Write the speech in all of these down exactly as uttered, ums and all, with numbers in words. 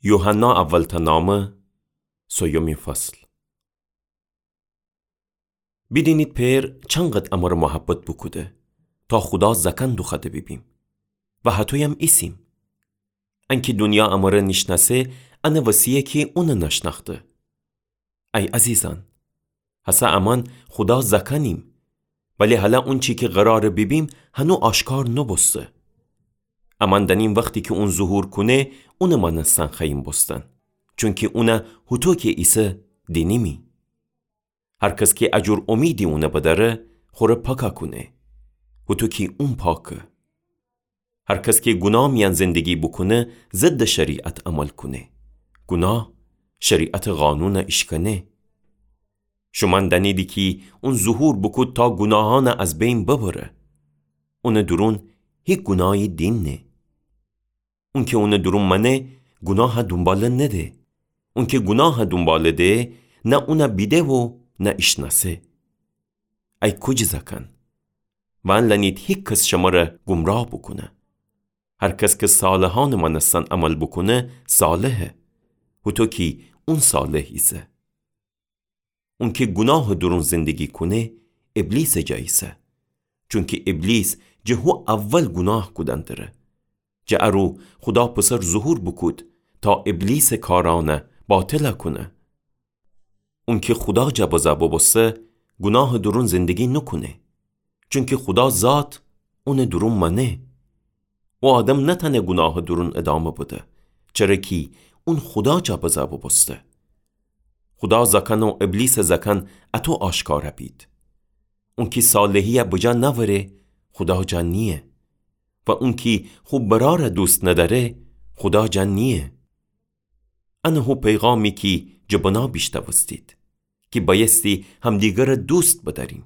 یوحنا اولتأ نامه، سویومین فصل. بیدینید پئر چنقد امره محبت بوکوده، تا خودا زأکأن دوخوأده بیبیم و هطویم ایسیم. انکی دونیا امره نیشنأسه، انه وسییه کی اونه نشنأخته. ای عزیزأن، هسه امأن خودا زأکأنیم، ولی هلأ اونچی کی قراره بیبیم هنو آشکار نوبوسته. امأن دأنیم وختی کی اون ظهور کونه، اونه مأنستن خوأییم بوستن، چونکی اونه هوطو کی ایسه دینیمی. هر کس کی اجور اومیدی اونه بدأره، خوره پاکا کونه، هوطو کی اون پاکه. هر کس کی گوناه میأن زندگی بوکونه، ضد شریعت عمل کونه. گوناه شریعتٚ قانون ایشکنه. شومأن دأنیدی کی اون ظهور بوکود تا گوناهأن از بین ببره. اونٚ دورون هیک گوناهی دیننه. اونکی اونٚ دورون مأنه، گوناه دونباله نده. اونکی گوناه دونباله ده، نه اونه بیده و نه ایشنأسه. ای کوجی زأکأن، وأن لأنید هیک کس شمره گمراه بوکونه. هر کس کی صالحأنٚ مأنستن عمل بوکونه، صالحه، هوطو کی اون صالح ایسه. اونکی گوناهٚ دورون زندگی کونه، ابلیسٚ جا ایسه. چونکی ابلیس جٚه هو اول گوناه کودن دره. جٚه ارو خودا پسر ظهور بوکود، تا ابلیسٚ کارأن باطل کونه. اونکی خودا جا بزه بوبوسته، گوناهٚ دورون زندگی نوکونه. چونکی خودا ذات اونٚ دورون مأنه. او آدم نتأنه گوناهٚ دورون ادامه بده، چره کی اون خودا جا بزه بوبوسته. خودا زأکأن و ابلیسٚ زأکأن اطو آشکار بید. اونکی صالحی بجا نأوره، خودا جا نییه. و اونکی خو برار دوست ندأره، خودا جا نییه. انه هو پیغامی کی جٚه بنا بیشنوستید، کی بأیستی همدیگر دوست بدأریم.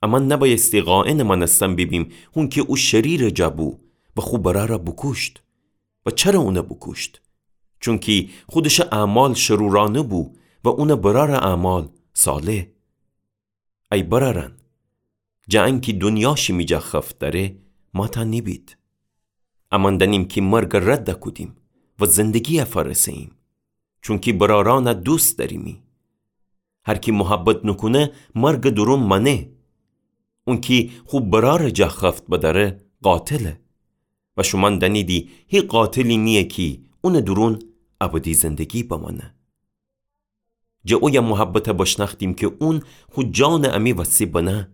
امأن نبأیستی خائنٚ مأنستن بیبیم، هونکی او شریرٚ جا بو و خو برار بوکوشت. و چره اون بوکوشت؟ چونکی خودشٚ اعمال شرورأنه بو و اونٚ برارٚ اعمال صالح. ای برأرأن، جٚه انکی دونیا شیمی جا خفت دأره، ماتأ نیبید. امأن دأنیم کی مرگ رد کودیم و زندگی فأرسهییم، چونکی برأرأن دوست دأریمی. هر کی محبت نوکونه، مرگٚ دورون مأنه. اونکی خو برارٚ جا خفت بدأره، قاتله. و شومأن دأنیدی هیک قاتلی نییه کی اونٚ دورون ابدی زندگی بمأنه. جٚه اویه محبت بشنأختیم کی اون خو جانٚ امی وسی بنه.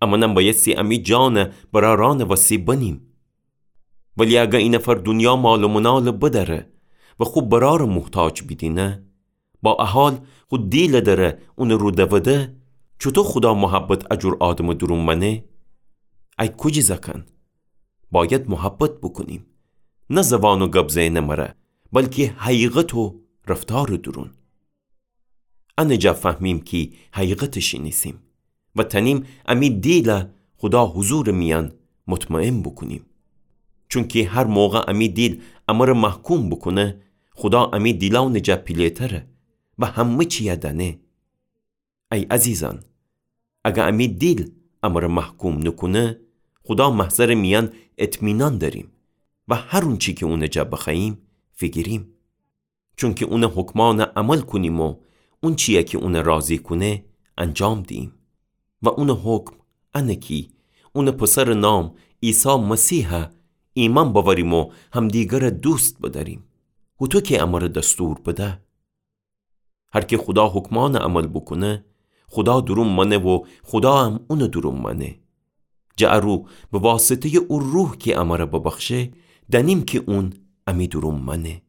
امأنم بأیستی امی جان برأرأنٚ وسی بنیم. ولی اگر اینفر دونیا مال و منال بدأره و خو برار محتاج بیدینه، با ا حال خو دیل دره اونٚ رو دوده، چوطو خودا محبت اجور آدمٚ دورون مأنه؟ ای کوجی زأکأن، بأید محبت بوکونیم، نه زوان و گب زئنٚ مره، بلکی حقیقت و رفتارٚ دورون. انٚ جا فهمیم کی حقیقت شینیسیم و تأنیم امی دیل خودا حضورٚ میأن مطمئن بوکونیم. چونکی هر موقع امی دیل امره محکوم بوکونه، خودا امی دیلأنٚ جا پیله‌تره و همه چیه دأنه. ای عزیزأن، اگر امی دیل امره محکوم نوکونه، خودا محضرٚ میأن اطمینان دأریم و هر اونچی کی اونٚ جا بخوأییم، فیگیریم. چونکی اونٚ حکمأن عمل کونیم و اونچیی کی اون راضی کونه، انجام دییم. و اونٚ حکم انه کی اونٚ پسرٚ نام عیسی مسیح ایمأن بأوریم و همدیگر دوست بدأریم، هوطو کی امره دستور بده. هر کی خودا حکمأن عمل بوکونه، خودا دورون مأنه و خودا هم اونٚ دورون مأنه. جٚه ارو به واسطه‌یٚ او روح کی امره ببخشه، دأنیم کی اون امی دورون مأنه.